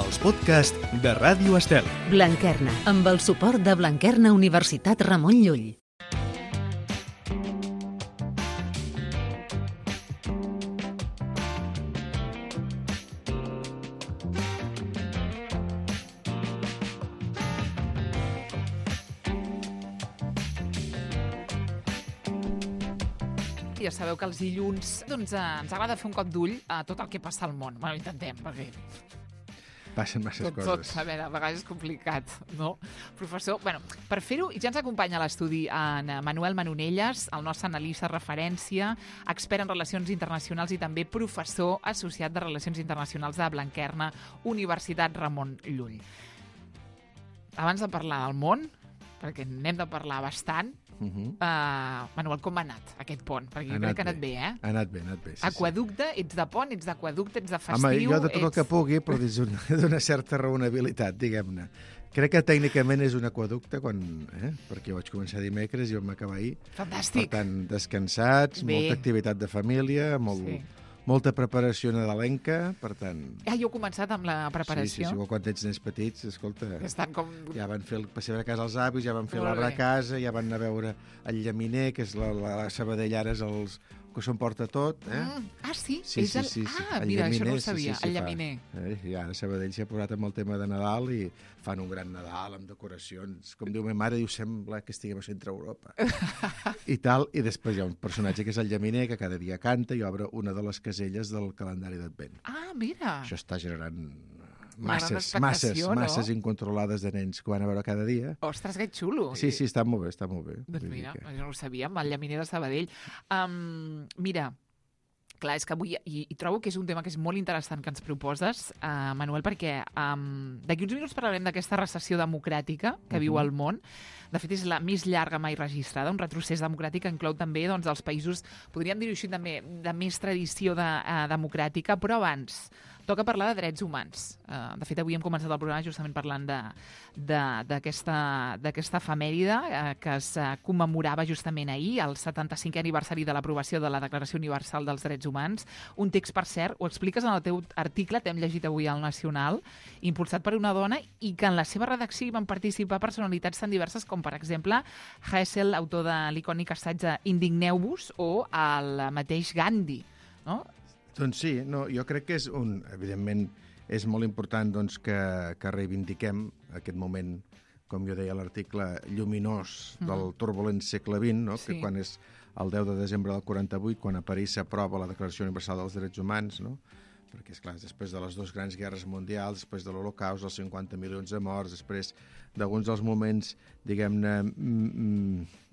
els podcasts de Ràdio Estel. Blanquerna, amb el suport de Blanquerna Universitat Ramon Llull. Ja sabeu que els dilluns ens agrada fer un cop d'ull a tot el que passa al món. Bueno, intentem, perquè passen masses coses. tot, a veure, a vegades és complicat, no? Professor, bueno, per fer-ho, ja ens acompanya a l'estudi en Manuel Manonelles, el nostre analista referència, expert en relacions internacionals i també professor associat de Relacions Internacionals de Blanquerna, Universitat Ramon Llull. Abans de parlar del món, perquè n'hem de parlar bastant, Manuel, com ha anat aquest pont? Perquè jo crec que ha anat bé, eh? Ha anat bé, sí. Aquaducte, ets de pont, ets d'aquaducte, ets de festiu... Home, jo de tot el que pugui, però d'una certa raonabilitat, diguem-ne. Crec que tècnicament és un aquaducte, perquè jo vaig començar dimecres i vam acabar ahir. Fantàstic. Per tant, descansats, molta activitat de família, molta preparació nadalenca, per tant... Jo he començat amb la preparació. Sí, quan tens nens petits, escolta... Estan com... Ja van fer el passeig a casa als avis, ja van fer l'arbre a casa, ja van anar a veure el llaminer, que és la Sabadell ara és els que s'ho emporta tot, Sí? Sí. Mira, això no ho sabia, el llaminer. I ara Sabadell s'ha posat amb el tema de Nadal i fan un gran Nadal amb decoracions. Com diu ma mare, sembla que estiguem a Centre Europa. I tal, i després hi ha un personatge que és el llaminer, que cada dia canta i obre una de les caselles del calendari d'Advent. Mira! Això està generant masses incontrolades de nens que van a veure cada dia. Ostres, que xulo! Sí, està molt bé, Doncs mira, jo no ho sabia, amb el llaminer de Sabadell. Mira, clar, és que avui, i trobo que és un tema que és molt interessant que ens proposes, Manuel, perquè d'aquí uns minuts parlarem d'aquesta recessió democràtica que viu el món. De fet, és la més llarga mai registrada, un retrocés democràtic que inclou també els països, podríem dir-ho així també, de més tradició democràtica, però abans toca parlar de drets humans. De fet, avui hem començat el programa justament parlant d'aquesta efemèride que es commemorava justament ahir, el 75è aniversari de l'aprovació de la Declaració Universal dels Drets Humans. Un text, per cert, ho expliques en el teu article, t'hem llegit avui al Nacional, impulsat per una dona i que en la seva redacció hi van participar personalitats tan diverses com, per exemple, Hessel, autor de l'icònic assaig Indigneu-vos, o el mateix Gandhi, no? Doncs sí, jo crec que evidentment, és molt important que reivindiquem aquest moment, com jo deia a l'article, lluminós del turbulent segle XX, que quan és el 10 de desembre del 48, quan a París s'aprova la Declaració Universal dels Drets Humans, perquè, esclar, després de les dues grans guerres mundials, després de l'Holocaust, els 50 milions de morts, després d'alguns dels moments, diguem-ne,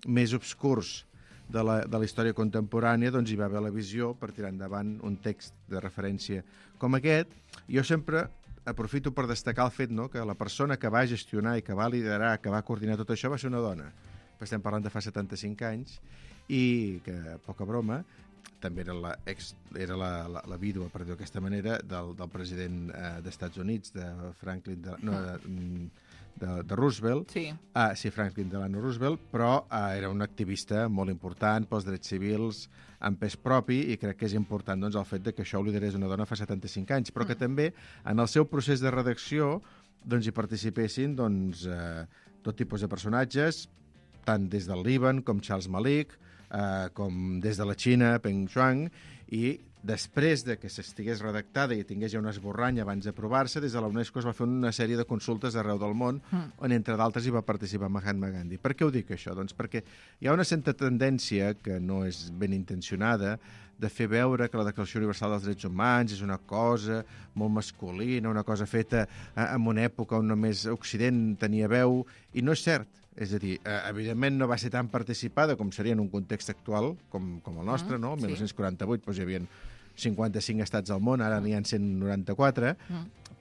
més obscurs de la història contemporània, doncs hi va haver la visió per tirar endavant un text de referència com aquest. Jo sempre aprofito per destacar el fet que la persona que va gestionar i que va liderar, que va coordinar tot això, va ser una dona. Estem parlant de fa 75 anys i que, poca broma, també era la vídua, per dir-ho d'aquesta manera, del president d'Estats Units, de Franklin... de Roosevelt, Franklin Delano Roosevelt, però era un activista molt important pels drets civils, en pes propi, i crec que és important el fet que això ho liderés una dona fa 75 anys, però que també en el seu procés de redacció hi participessin tot tipus de personatges, tant des del Líban com Charles Malik, com des de la Xina, Peng Shuang, i després de que s'estigués redactada i tingués ja un esborrany abans d'aprovar-se, des de la UNESCO es va fer una sèrie de consultes arreu del món, on entre d'altres hi va participar Mahatma Gandhi. Per què ho dic això? Doncs perquè hi ha una certa tendència, que no és ben intencionada, de fer veure que la Declaració Universal dels Drets Humans és una cosa molt masculina, una cosa feta en una època on només Occident tenia veu, i no és cert. És a dir, evidentment no va ser tan participada com seria en un context actual com el nostre, no? El 1948 hi havia 55 estats al món, ara n'hi ha 194,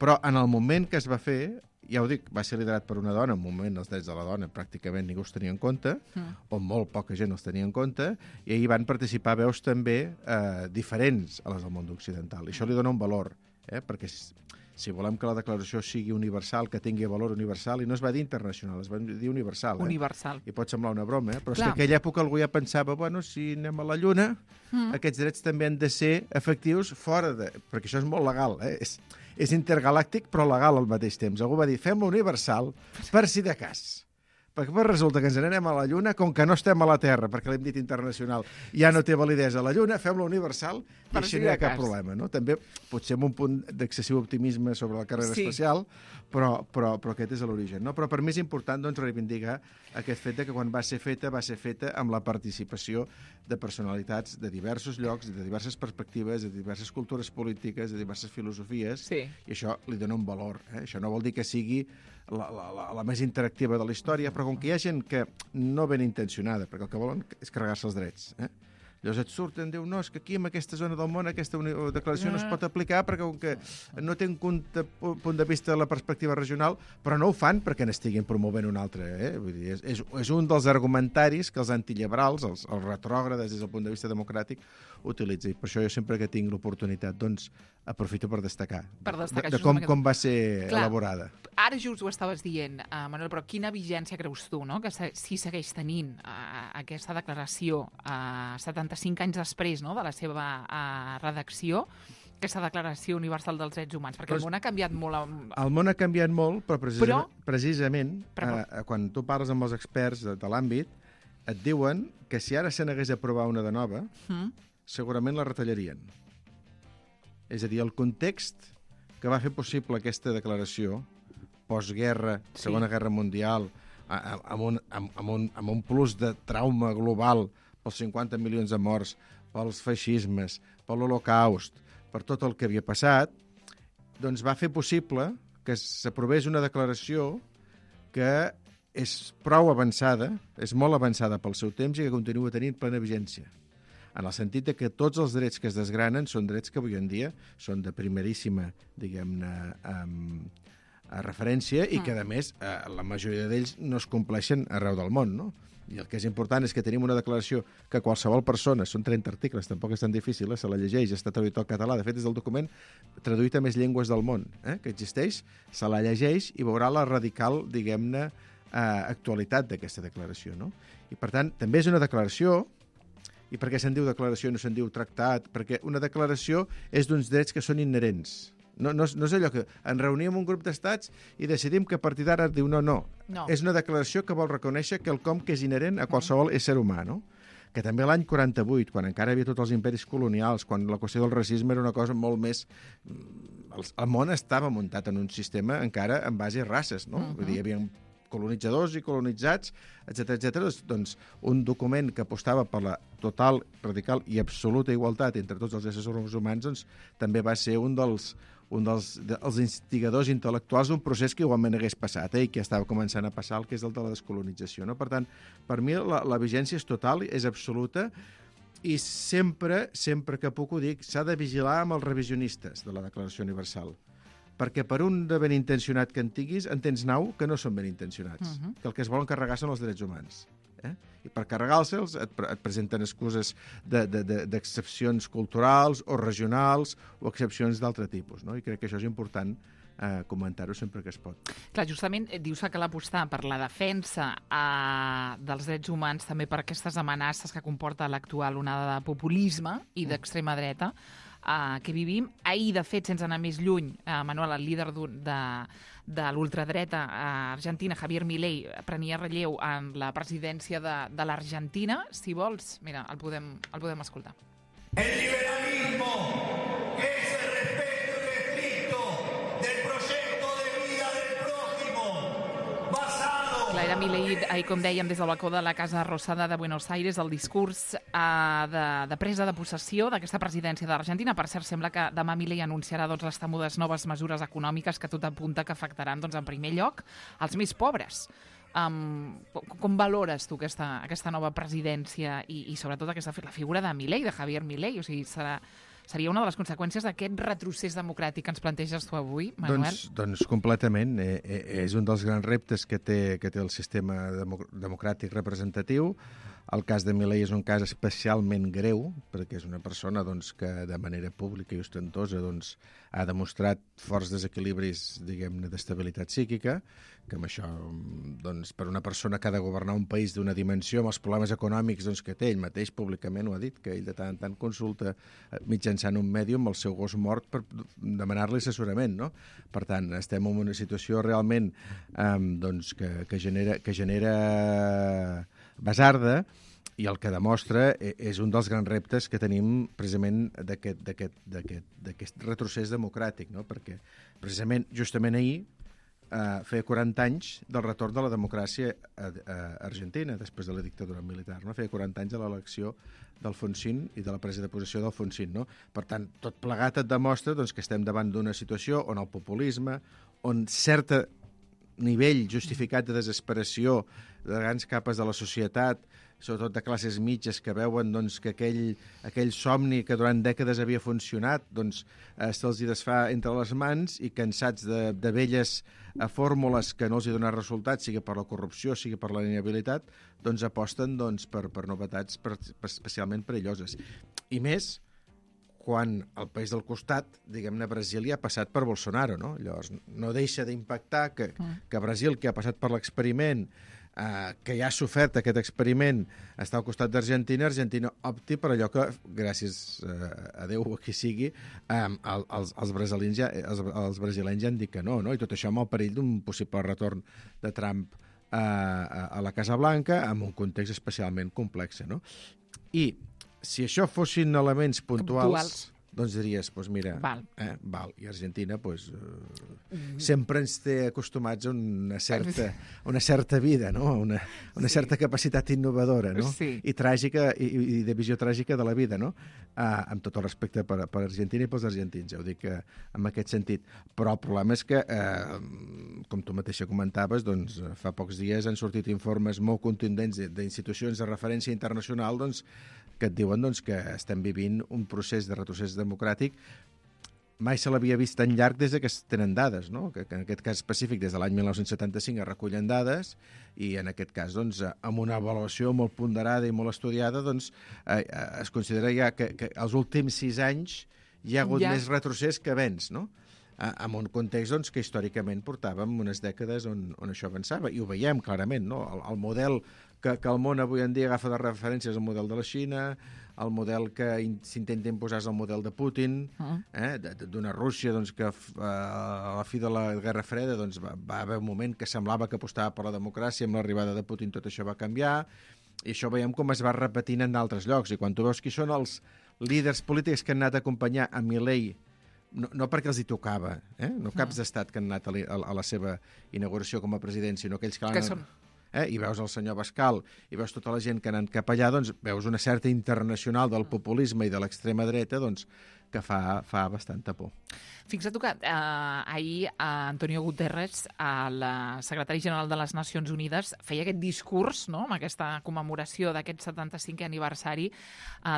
però en el moment que es va fer, ja ho dic, va ser liderat per una dona, en un moment els drets de la dona pràcticament ningú els tenia en compte, o molt poca gent els tenia en compte, i ahir van participar veus també diferents a les del món occidental, i això li dona un valor, perquè si volem que la declaració sigui universal, que tingui valor universal, i no es va dir internacional, es va dir universal. Universal. I pot semblar una broma, però és que en aquella època algú ja pensava, si anem a la Lluna, aquests drets també han de ser efectius fora de... Perquè això és molt legal, és intergalàctic però legal al mateix temps. Algú va dir, fem-lo universal per si de cas. Perquè resulta que ens n'anem a la Lluna, com que no estem a la Terra, perquè l'hem dit internacional, ja no té validesa a la Lluna, fem-lo universal i així no hi ha cap problema. No? També potser amb un punt d'excessiu optimisme sobre la carrera espacial, però aquest és l'origen. No? Però per mi és important doncs, reivindicar aquest fet que quan va ser feta amb la participació de personalitats de diversos llocs, de diverses perspectives, de diverses cultures polítiques, de diverses filosofies, i això li dona un valor. Això no vol dir que sigui la més interactiva de la història, però com que hi ha gent que no ben intencionada, perquè el que volen és carregar-se els drets, llavors et surten, diu, no, és que aquí en aquesta zona del món aquesta declaració no es pot aplicar perquè com que no té un punt de vista de la perspectiva regional, però no ho fan perquè n'estiguin promovent un altre. Vull dir, és un dels argumentaris que els antiliberals, els retrògrades des del punt de vista democràtic, utilitzen. Per això jo sempre que tinc l'oportunitat, doncs, aprofito per destacar de com va ser elaborada. Ara just ho estaves dient, Manuel, però quina vigència creus tu, no? Que si segueix tenint aquesta declaració 75 anys després, no?, de la seva redacció, aquesta Declaració Universal dels Drets Humans, perquè el món ha canviat molt. El món ha canviat molt, però precisament quan tu parles amb els experts de l'àmbit, et diuen que si ara se n'hagués d'aprovar una de nova, segurament la retallarien. És a dir, el context que va fer possible aquesta declaració, postguerra, Segona Guerra Mundial, amb un plus de trauma global pels 50 milions de morts, pels feixismes, per l'Holocaust, per tot el que havia passat, doncs va fer possible que s'aprovés una declaració que és prou avançada, és molt avançada pel seu temps i que continua tenint plena vigència. En el sentit que tots els drets que es desgranen són drets que avui en dia són de primeríssima, diguem-ne, referència i que, a més, la majoria d'ells no es compleixen arreu del món, no? I el que és important és que tenim una declaració que qualsevol persona, són 30 articles, tampoc és tan difícil, se la llegeix, està traduït al català, de fet és el document traduït a més llengües del món, que existeix, se la llegeix i veurà la radical, diguem-ne, actualitat d'aquesta declaració, no? I per tant, també és una declaració, i per què se'n diu declaració i no se'n diu tractat? Perquè una declaració és d'uns drets que són inherents. No és allò que ens reunim un grup d'estats i decidim que a partir d'ara diu no. És una declaració que vol reconèixer quelcom que és inherent a qualsevol ésser humà, no? Que també l'any 48, quan encara hi havia tots els imperis colonials, quan la qüestió del racisme era una cosa molt més... El món estava muntat en un sistema encara en base a races, no? Vull dir, hi havia colonitzadors i colonitzats, etc. Doncs un document que apostava per la total, radical i absoluta igualtat entre tots els éssers humans, doncs també va ser un dels instigadors intel·lectuals d'un procés que igualment hagués passat i que estava començant a passar, el que és el de la descolonització. No? Per tant, per mi la vigència és total, és absoluta, i sempre que puc ho dic, s'ha de vigilar amb els revisionistes de la Declaració Universal, perquè per un de ben intencionat que en tinguis, en tens 9 que no són ben intencionats, que el que es volen carregar són els drets humans. I per carregar-se'ls et presenten excuses d'excepcions culturals o regionals o excepcions d'altre tipus, no? I crec que això és important comentar-ho sempre que es pot. Clar, justament dius que cal apostar per la defensa dels drets humans, també per aquestes amenaces que comporta l'actual onada de populisme i d'extrema dreta que vivim. Ahir, de fet, sense anar més lluny, Manuel, el líder de l'ultradreta argentina, Javier Milei, prenia relleu en la presidència de l'Argentina. Si vols, mira, el podem escoltar. El liberalismo es el respeto estricto del proyecto de vida del prójimo, basado... Clar, era Milei, com dèiem, des del balcó de la Casa Rosada de Buenos Aires, el discurs de presa de possessió d'aquesta presidència de l'Argentina. Per cert, sembla que demà Milei anunciarà les temudes noves mesures econòmiques que tot apunta que afectaran, en primer lloc, els més pobres. Com valores tu aquesta nova presidència i sobretot la figura de Milei, de Javier Milei? O sigui, seria una de les conseqüències d'aquest retrocés democràtic que ens planteges tu avui, Manuel? Doncs completament. És un dels grans reptes que té el sistema democràtic representatiu. El cas de Milei és un cas especialment greu, perquè és una persona doncs, que de manera pública i ostentosa doncs, ha demostrat forts desequilibris, diguem-ne, d'estabilitat psíquica, que amb això, doncs, per una persona que ha de governar un país d'una dimensió, amb els problemes econòmics doncs, que té, ell mateix públicament ho ha dit, que ell de tant en tant consulta mitjançant un mèdium el seu gos mort per demanar-li assessorament, no? Per tant, estem en una situació realment doncs, que genera basarda, i el que demostra és un dels grans reptes que tenim precisament d'aquest retrocés democràtic, no? Perquè precisament justament ahir feia 40 anys del retorn de la democràcia a Argentina, després de la dictadura militar, no? Feia 40 anys de l'elecció d'Alfonsín i de la presa de possessió d'Alfonsín, no? Per tant, tot plegat et demostra doncs, que estem davant d'una situació on el populisme, on certa nivell justificat de desesperació de grans capes de la societat, sobretot de classes mitges que veuen doncs, que aquell somni que durant dècades havia funcionat doncs, se'ls hi desfà entre les mans i cansats de velles fórmules que no els hi donen resultats, sigui per la corrupció, sigui per la inhabilitat, doncs aposten doncs, per novetats especialment perilloses. I més quan el país del costat, diguem-ne, Brasília, ha passat per Bolsonaro, no? Llavors, no deixa d'impactar que Brasil, que ha passat per l'experiment, que ja ha sofert aquest experiment, està al costat d'Argentina, Argentina opti per allò que, gràcies a Déu o a qui sigui, els brasilenys ja han dit que no, no? I tot això amb el perill d'un possible retorn de Trump a la Casa Blanca, en un context especialment complex, no? I si això fossin elements puntuals, doncs diries, doncs mira, val. I Argentina sempre ens té acostumats a una certa vida, no? Una certa capacitat innovadora, no? Sí. I tràgica, i de visió tràgica de la vida, no? Amb tot el respecte per Argentina i pels argentins, ja ho dic en aquest sentit. Però el problema és que, com tu mateixa comentaves, doncs fa pocs dies han sortit informes molt contundents d'institucions de referència internacional, doncs, que et diuen doncs, que estem vivint un procés de retrocés democràtic mai se l'havia vist tan llarg des que es tenen dades, no? Que en aquest cas específic des de l'any 1975 es recullen dades i en aquest cas doncs, amb una avaluació molt ponderada i molt estudiada doncs, es considera ja que els últims 6 anys hi ha hagut més retrocés que avenç, no? En un context doncs, que històricament portàvem unes dècades on això avançava i ho veiem clarament, no? El model que el món avui en dia agafa de referència és el model de la Xina, el model que s'intenta imposar és el model de Putin, d'una Rússia doncs, que a la fi de la Guerra Freda doncs, va haver un moment que semblava que apostava per la democràcia, amb l'arribada de Putin tot això va canviar, i això veiem com es va repetint en d'altres llocs, i quan tu veus qui són els líders polítics que han anat a acompanyar a Milei, no perquè els hi tocava, no caps d'estat que han anat a la seva inauguració com a president, sinó aquells que l'han... I veus el senyor Bascal i veus tota la gent que ha anat cap allà, doncs veus una certa internacional del populisme i de l'extrema dreta doncs, que fa bastanta por. Fixa't que ahir Antonio Guterres, el secretari general de les Nacions Unides, feia aquest discurs, no?, amb aquesta commemoració d'aquest 75è aniversari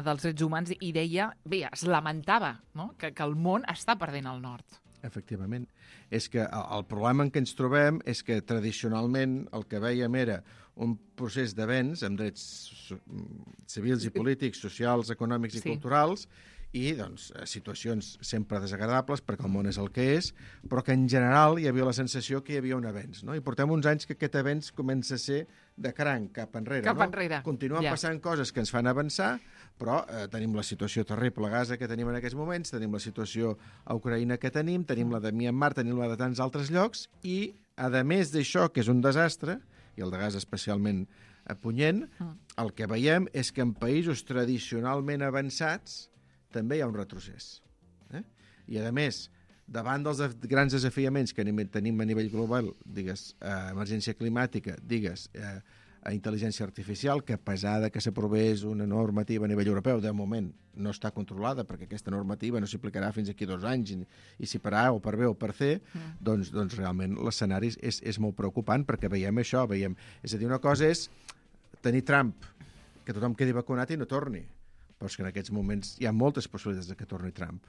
dels drets humans i deia, bé, es lamentava, no?, que el món està perdent el nord. Efectivament. És que el problema en què ens trobem és que tradicionalment el que veiem era un procés d'avenç amb drets civils i polítics, socials, econòmics i culturals i doncs, situacions sempre desagradables perquè el món és el que és, però que en general hi havia la sensació que hi havia un avenç. No? I portem uns anys que aquest avenç comença a ser de cranc, cap enrere. Enrere. Continuen passant coses que ens fan avançar, però tenim la situació terrible a Gaza que tenim en aquests moments, tenim la situació a Ucraïna que tenim la de Myanmar, tenim la de tants altres llocs, i a més d'això, que és un desastre, i el de Gaza especialment punyent, el que veiem és que en països tradicionalment avançats també hi ha un retrocés. I, a més, davant dels grans desafiaments que tenim a nivell global, digues, emergència climàtica, digues, intel·ligència artificial, que a pesar que s'aprovés una normativa a nivell europeu, de moment no està controlada, perquè aquesta normativa no s'aplicarà fins aquí 2 anys, i si per A o per B o per C, doncs realment l'escenari és molt preocupant, perquè veiem això, és a dir, una cosa és tenir Trump, que tothom quedi vacunat i no torni, però és que en aquests moments hi ha moltes possibilitats que torni Trump.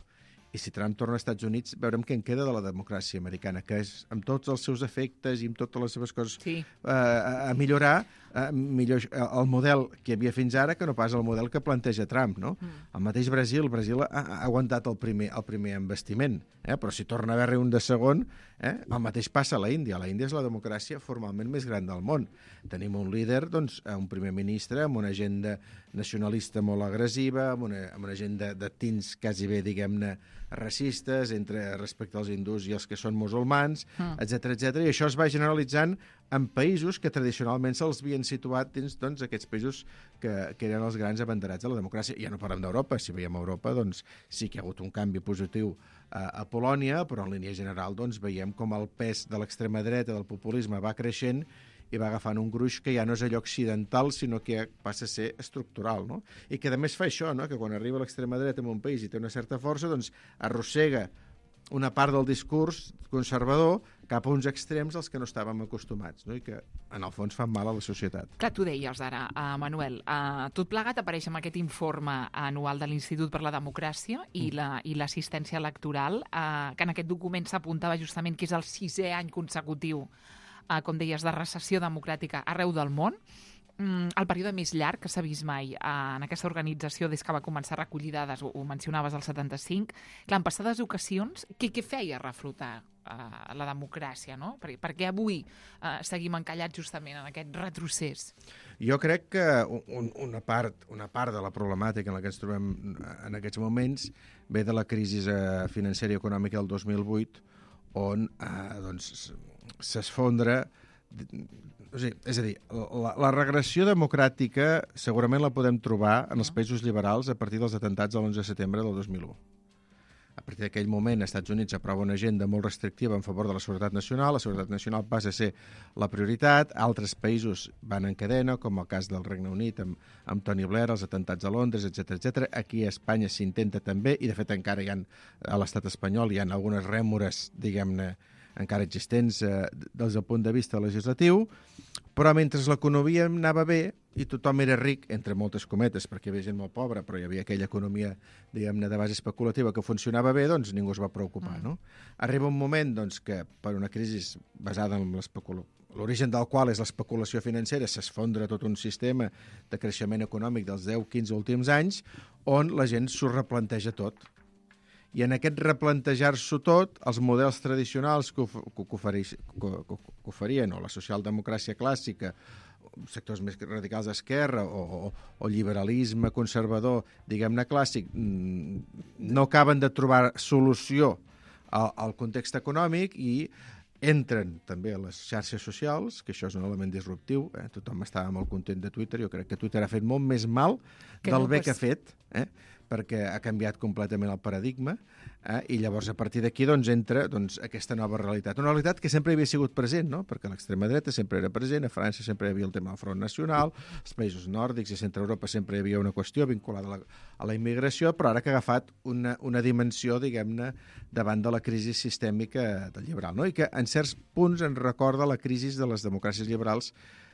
I si Trump torna als Estats Units, veurem què en queda de la democràcia americana, que és, amb tots els seus efectes i amb totes les seves coses a millorar, millor el model que hi havia fins ara que no pas el model que planteja Trump, no? El mateix Brasil ha aguantat el primer investiment, però si torna a haver-hi un de segon, el mateix passa a l'Índia. La Índia és la democràcia formalment més gran del món. Tenim un líder, doncs, un primer ministre amb una agenda nacionalista molt agressiva, amb una agenda de tints quasi bé, diguem-ne, racistes respecte als hindús i els que són musulmans, etc. I això es va generalitzant en països que tradicionalment se'ls havien situat dins aquests països que eren els grans abanderats de la democràcia. Ja no parlem d'Europa. Si veiem Europa, doncs sí que hi ha hagut un canvi positiu a Polònia, però en línia general doncs, veiem com el pes de l'extrema dreta, del populisme, va creixent i va agafant un gruix que ja no és allò occidental, sinó que passa a ser estructural, no? I que a més fa això, no? Que quan arriba l'extrema dreta en un país i té una certa força, doncs arrossega una part del discurs conservador cap a uns extrems als que no estàvem acostumats, no? I que en el fons fan mal a la societat. Clar, tu deies ara, Manuel, tot plegat apareix en aquest informe anual de l'Institut per la Democràcia i l'assistència electoral, que en aquest document s'apuntava justament que és el 6è any consecutiu, com deies, de recessió democràtica arreu del món. El període més llarg que s'ha vist mai en aquesta organització des que va començar a recollir dades, ho mencionaves, al 75. Clar, en passades ocasions, què feia reflotar la democràcia, no? Per què avui seguim encallats justament en aquest retrocés? Jo crec que una part de la problemàtica en la que ens trobem en aquests moments ve de la crisi financera i econòmica del 2008, on s'esfondra. És a dir, la regressió democràtica segurament la podem trobar en els països liberals a partir dels atentats de l'11 de setembre del 2001. A partir d'aquell moment, els Estats Units aprova una agenda molt restrictiva en favor de la seguretat nacional. La seguretat nacional passa a ser la prioritat. Altres països van en cadena, com el cas del Regne Unit amb Tony Blair, els atentats a Londres, etc. Aquí a Espanya s'intenta també, i de fet encara a l'estat espanyol hi ha algunes rèmores, diguem-ne, encara existents des del punt de vista legislatiu, però mentre l'economia anava bé i tothom era ric, entre moltes cometes, perquè hi havia gent molt pobra, però hi havia aquella economia, diguem-ne, de base especulativa que funcionava bé, doncs ningú es va preocupar, no? Arriba un moment doncs, que per una crisi basada en l'origen del qual és l'especulació financera, s'esfondra tot un sistema de creixement econòmic dels 10-15 últims anys, on la gent s'ho replanteja tot. I en aquest replantejar-s'ho tot, els models tradicionals que oferien, o la socialdemocràcia clàssica, sectors més radicals d'esquerra, o liberalisme conservador, diguem-ne clàssic, no acaben de trobar solució al context econòmic i entren també a les xarxes socials, que això és un element disruptiu. Tothom estava molt content de Twitter. Jo crec que Twitter ha fet molt més mal del bé que ha fet, perquè ha canviat completament el paradigma, i llavors a partir d'aquí entra aquesta nova realitat. Una realitat que sempre havia sigut present, no? Perquè l'extrema dreta sempre era present, a França sempre hi havia el tema del Front Nacional, als països nòrdics i a Centre Europa sempre hi havia una qüestió vinculada a la immigració, però ara que ha agafat una dimensió, diguem-ne, davant de la crisi sistèmica del liberal, no? I que en certs punts ens recorda la crisi de les democràcies liberals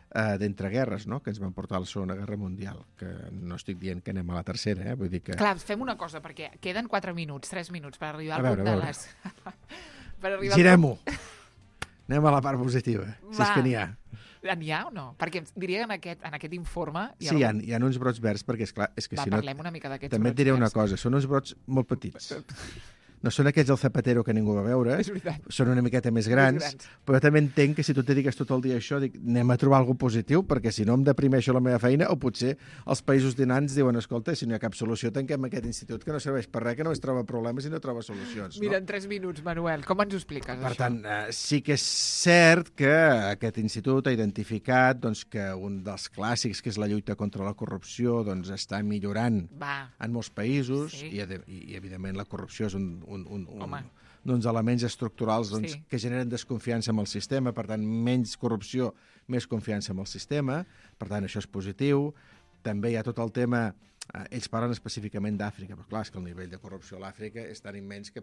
d'entreguerres, no? Que ens van portar a la Segona Guerra Mundial, que no estic dient que anem a la tercera, vull dir que... Clar, fem una cosa, perquè queden 4 minuts, 3 minuts per arribar al punt de les... Girem-ho! Anem a la part positiva, si és que n'hi ha. N'hi ha o no? Perquè diria que en aquest informe... Sí, hi ha uns brots verds, perquè és clar, és que si no... Parlem una mica d'aquests brots verds. També et diré una cosa, són uns brots molt petits. No són aquells del Zapatero que ningú va veure, són una miqueta més grans, però també entenc que si tu et dediques tot el dia a això, dic, anem a trobar alguna positiu, perquè si no em deprimeixo la meva feina, o potser els països dinants diuen, escolta, si no hi ha cap solució, tanquem aquest institut que no serveix per res, que no es troba problemes i no troba solucions. No? Mira, en 3 minuts, Manuel, com ens ho expliques, això? Per tant, sí que és cert que aquest institut ha identificat que un dels clàssics, que és la lluita contra la corrupció, està millorant en molts països, i evidentment la corrupció és uns elements estructurals que generen desconfiança amb el sistema, per tant, menys corrupció, més confiança amb el sistema, per tant, això és positiu. També hi ha tot el tema, ells parlen específicament d'Àfrica, però clar, és que el nivell de corrupció a l'Àfrica és tan immens que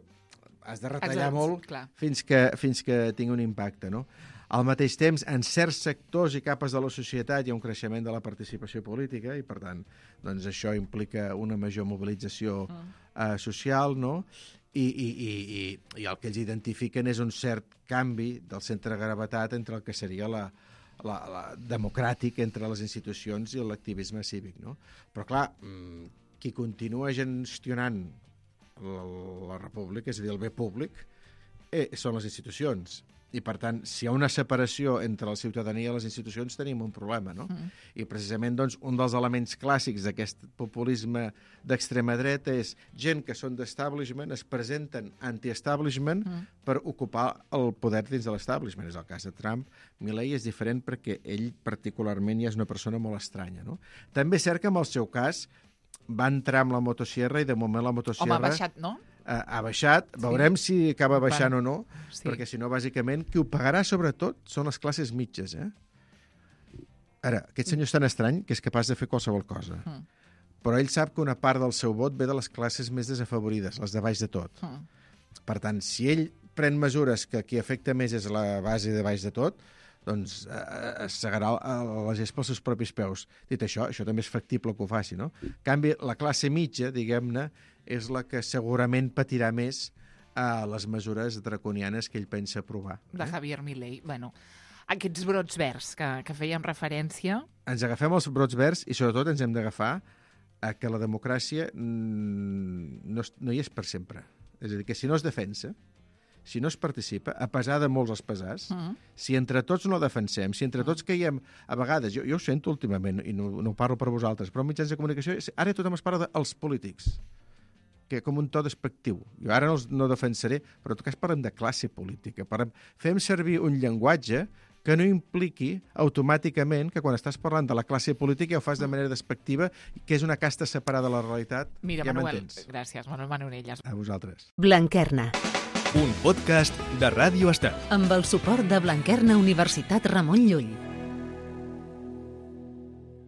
has de retallar molt fins que tingui un impacte, no? Al mateix temps, en certs sectors i capes de la societat hi ha un creixement de la participació política i, per tant, això implica una major mobilització social, no? I el que ells identifiquen és un cert canvi del centre de gravetat entre el que seria democràtic entre les institucions i l'activisme cívic, no? Però, clar, qui continua gestionant la república, és a dir, el bé públic, són les institucions. I, per tant, si hi ha una separació entre la ciutadania i les institucions, tenim un problema, no? I, precisament, doncs, un dels elements clàssics d'aquest populisme d'extrema dreta és gent que són d'establishment, es presenten anti-establishment per ocupar el poder dins de l'establishment. És el cas de Trump. Milei és diferent perquè ell, particularment, ja és una persona molt estranya, no? També és cert que, en el seu cas, va entrar amb la motosierra i, de moment, la motosierra... Home, ha baixat, no? Ha baixat, veurem si acaba baixant o no, perquè si no, bàsicament, qui ho pagarà sobretot són les classes mitges. Ara, aquest senyor és tan estrany que és capaç de fer qualsevol cosa, però ell sap que una part del seu vot ve de les classes més desafavorides, les de baix de tot. Per tant, si ell pren mesures que qui afecta més és la base de baix de tot, doncs es segarà la gespa als seus propis peus. Dit això, això també és factible que ho faci, no? En canvi, la classe mitja, diguem-ne, és la que segurament patirà més les mesures draconianes que ell pensa aprovar. De Javier Milei. Bueno, aquests brots verds que fèiem referència... Ens agafem els brots verds i, sobretot, ens hem d'agafar que la democràcia no hi és per sempre. És a dir, que si no es defensa, si no es participa, a pesar de molts espesars, si entre tots no defensem, si entre tots caiem, a vegades, jo ho sento últimament, i no ho parlo per vosaltres, però en mitjans de comunicació, ara tothom es parla dels polítics, que com un to despectiu. Jo ara no defensaré, però en tot cas parlem de classe política. Fem servir un llenguatge que no impliqui automàticament que quan estàs parlant de la classe política ho fas de manera despectiva, que és una casta separada de la realitat. Mira, ja Manuel, m'entens. gràcies, Manuel Manonelles. A vosaltres. Blanquerna, Un podcast de Ràdio Estel. amb el suport de Blanquerna Universitat Ramon Llull.